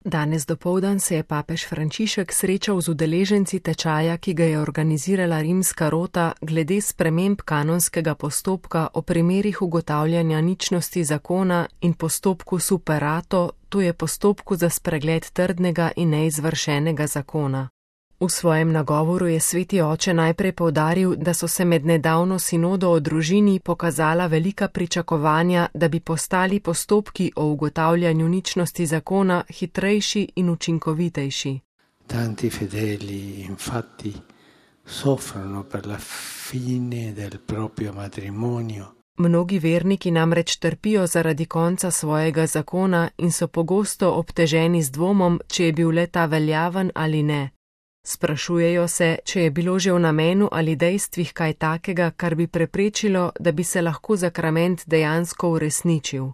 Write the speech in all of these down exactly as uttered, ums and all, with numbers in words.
Danes dopoldan se je papež Frančišek srečal z udeleženci tečaja, ki ga je organizirala rimska rota glede sprememb kanonskega postopka o primerih ugotavljanja ničnosti zakona in postopku superato, to je postopku za spregled trdnega in neizvršenega zakona. V svojem nagovoru je sveti oče najprej poudaril, da so se med nedavno sinodo o družini pokazala velika pričakovanja, da bi postali postopki o ugotavljanju ničnosti zakona hitrejši in učinkovitejši. Tanti fedeli infatti soffrono per la fine del proprio matrimonio. Mnogi verniki namreč trpijo zaradi konca svojega zakona in so pogosto obteženi z dvomom, če je bil le ta veljaven ali ne. Sprašujejo se, če je bilo že v namenu ali dejstvih kaj takega, kar bi preprečilo, da bi se lahko zakrament dejansko uresničil.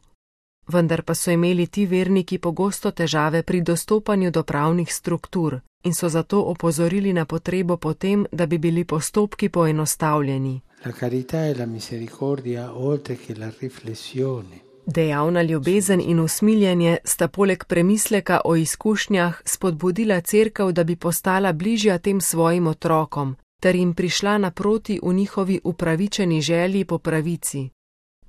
Vendar pa so imeli ti verniki pogosto težave pri dostopanju do pravnih struktur in so zato opozorili na potrebo po tem, da bi bili postopki poenostavljeni. La carità e la misericordia oltre che la riflessione. Dejavna ljubezen in usmiljenje sta poleg premisleka o izkušnjah spodbudila cerkev, da bi postala bližja tem svojim otrokom, ter jim prišla naproti v njihovi upravičeni želji po pravici.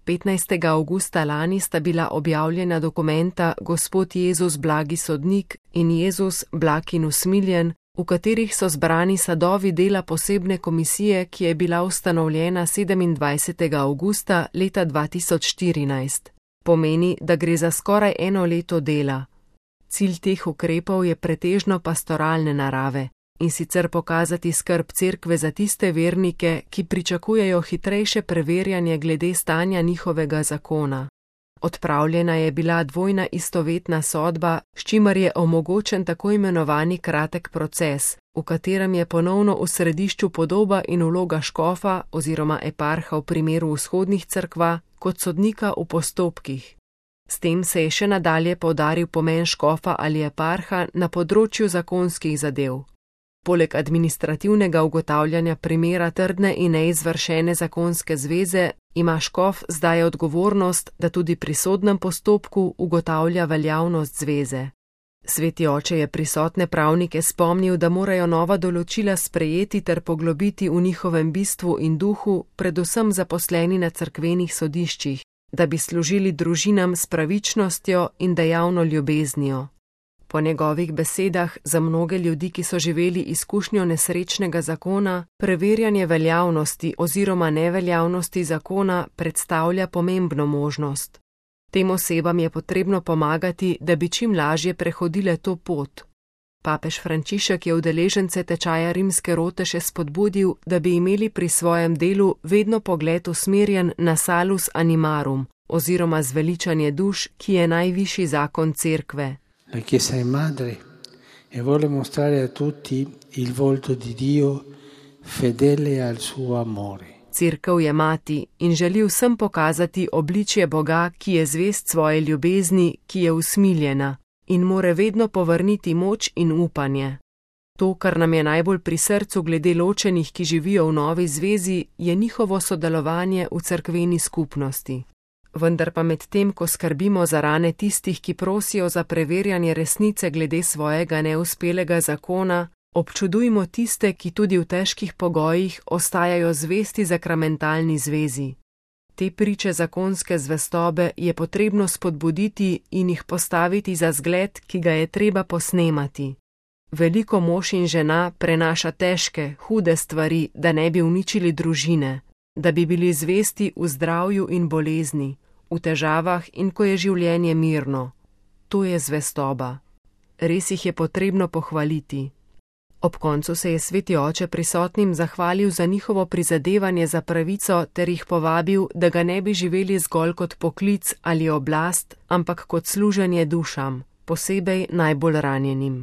petnajstega avgusta lani sta bila objavljena dokumenta Gospod Jezus blagi sodnik in Jezus blag in usmiljen, v katerih so zbrani sadovi dela posebne komisije, ki je bila ustanovljena sedemindvajsetega avgusta leta dva tisoč štirinajst. Pomeni, da gre za skoraj eno leto dela. Cilj teh ukrepov je pretežno pastoralne narave, in sicer pokazati skrb cerkve za tiste vernike, ki pričakujejo hitrejše preverjanje glede stanja njihovega zakona. Odpravljena je bila dvojna istovetna sodba, s čimer je omogočen tako imenovani kratek proces, v katerem je ponovno v središču podoba in vloga škofa oziroma eparha v primeru vzhodnih cerkva kot sodnika v postopkih. S tem se je še nadalje poudaril pomen škofa ali eparha na področju zakonskih zadev. Poleg administrativnega ugotavljanja primera trdne in neizvršene zakonske zveze, ima škof zdaj odgovornost, da tudi pri sodnem postopku ugotavlja veljavnost zveze. Sveti oče je prisotne pravnike spomnil, da morajo nova določila sprejeti ter poglobiti v njihovem bistvu in duhu, predvsem zaposleni na cerkvenih sodiščih, da bi služili družinam s pravičnostjo in dejavno ljubeznijo. Po njegovih besedah za mnoge ljudi, ki so živeli izkušnjo nesrečnega zakona, preverjanje veljavnosti oziroma neveljavnosti zakona predstavlja pomembno možnost. Tem osebam je potrebno pomagati, da bi čim lažje prehodile to pot. Papež Frančišek je udeležence tečaja rimske rote še spodbudil, da bi imeli pri svojem delu vedno pogled usmerjen na salus animarum oziroma zveličanje duš, ki je najvišji zakon cerkve. La Chiesa è madre e vuole mostrare a tutti il volto di Dio fedele al suo amore. Cerkev je mati in želi vsem pokazati obličje Boga, ki je zvest svoje ljubezni, ki je usmiljena in more vedno povrniti moč in upanje. To, kar nam je najbolj pri srcu glede ločenih, ki živijo v novi zvezi, je njihovo sodelovanje v cerkveni skupnosti. Vendar pa med tem, ko skrbimo za rane tistih, ki prosijo za preverjanje resnice glede svojega neuspelega zakona, občudujmo tiste, ki tudi v težkih pogojih ostajajo zvesti zakramentalni zvezi. Te priče zakonske zvestobe je potrebno spodbuditi in jih postaviti za zgled, ki ga je treba posnemati. Veliko mož in žena prenaša težke, hude stvari, da ne bi uničili družine, da bi bili zvesti v zdravju in bolezni, v težavah in ko je življenje mirno. To je zvestoba. Res jih je potrebno pohvaliti. Ob koncu se je sveti oče prisotnim zahvalil za njihovo prizadevanje za pravico ter jih povabil, da ga ne bi živeli zgolj kot poklic ali oblast, ampak kot služenje dušam, posebej najbolj ranjenim.